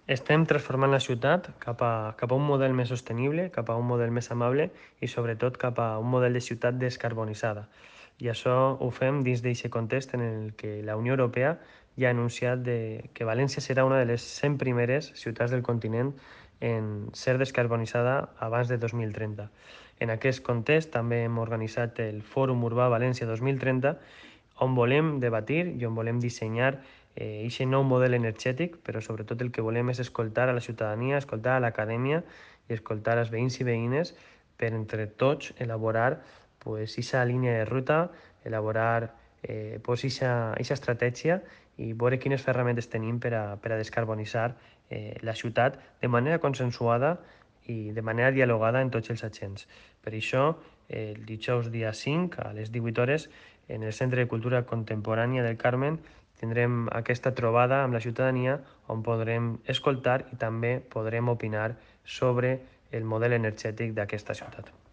Estem transformant la ciutat cap a un model més sostenible, cap a un model més amable i sobretot cap a un model de ciutat descarbonitzada. I això ho fem dins d'aquest context en el que la Unió Europea ja ha anunciat que València serà una de les 100 primeres ciutats del continent en ser descarbonitzada abans de 2030. En aquest context també hem organitzat el Fòrum Urbà València 2030, on volem debatir i on volem dissenyar aquest nou model energètic, però sobretot el que volem és escoltar a la ciutadania, escoltar a l'acadèmia i escoltar els veïns i veïnes per entre tots elaborar aquesta línia de ruta, elaborar aquesta estratègia i veure quines ferramentes tenim per a descarbonitzar la ciutat de manera consensuada i de manera dialogada en tots els agents. Per això, el dijous dia 5 a les 18 hores en el Centre de Cultura Contemporània del Carmen tindrem aquesta trobada amb la ciutadania on podrem escoltar i també podrem opinar sobre el model energètic d'aquesta ciutat.